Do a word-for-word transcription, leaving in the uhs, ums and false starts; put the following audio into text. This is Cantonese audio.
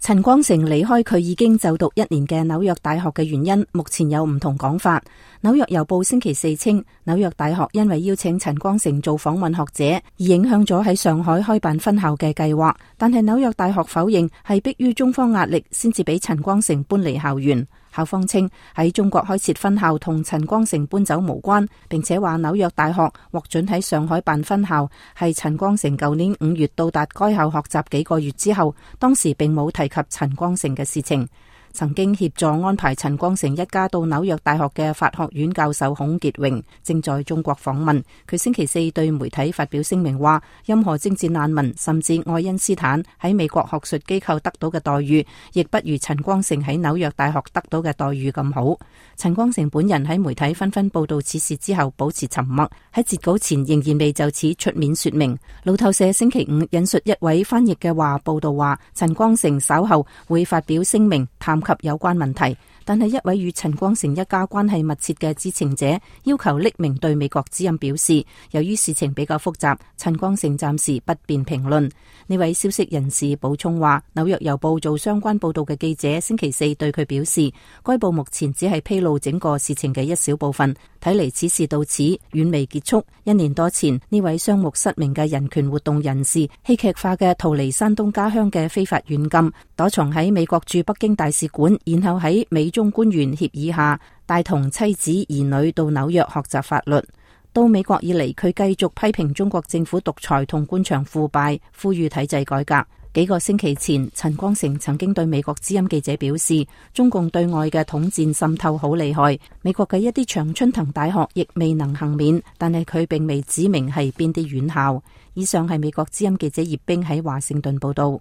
陳光誠離開佢已經就讀一年嘅紐約大學嘅原因，目前有唔同講法。紐約郵報星期四稱，紐約大學因為邀請陳光誠做訪問學者，而影響咗喺上海開辦分校嘅計劃。但係紐約大學否認係迫於中方壓力先至俾陳光誠搬離校園。校方稱喺中國開設分校同陳光誠搬走無關，並且話紐約大學獲准喺上海辦分校係陳光誠舊年五月到達該校學習幾個月之後，當時並冇提及陳光誠嘅事情。曾經協助安排陳光誠一家到紐約大學嘅法學院教授孔傑榮正在中國訪問。佢星期四對媒體發表聲明話，任何政治難民甚至愛因斯坦喺美國學術機構得到嘅待遇，亦不如陳光誠喺紐約大學得到嘅待遇咁好。陳光誠本人喺媒體紛紛報道此事之後保持沉默，喺截稿前仍然未就此出面說明。路透社星期五引述一位翻譯嘅話報道話，陳光誠稍後會發表聲明談及有關問題，但係一位與陳光誠一家關係密切嘅知情者要求匿名對美國之音表示，由於事情比較複雜，陳光誠暫時不便評論。呢位消息人士補充話，紐約郵報做相關報道嘅記者星期四對佢表示，該報目前只係披露整個事情嘅一小部分，睇嚟此事到此遠未結束。一年多前，呢位雙目失明嘅人權活動人士戲劇化嘅逃離山東家鄉嘅非法軟禁，躲藏喺美國駐北京大使館，然後喺美中官員協議下帶同妻子兒女到紐約學習法律。到美國以嚟，佢繼續批評中國政府獨裁同官場腐敗，呼籲體制改革。幾個星期前，陳光誠曾經對美國之音記者表示，中共對外嘅統戰滲透好厲害，美國嘅一啲常春藤大學亦未能幸免，但係佢並未指明係邊啲院校。以上係美國之音記者葉冰喺華盛頓報道。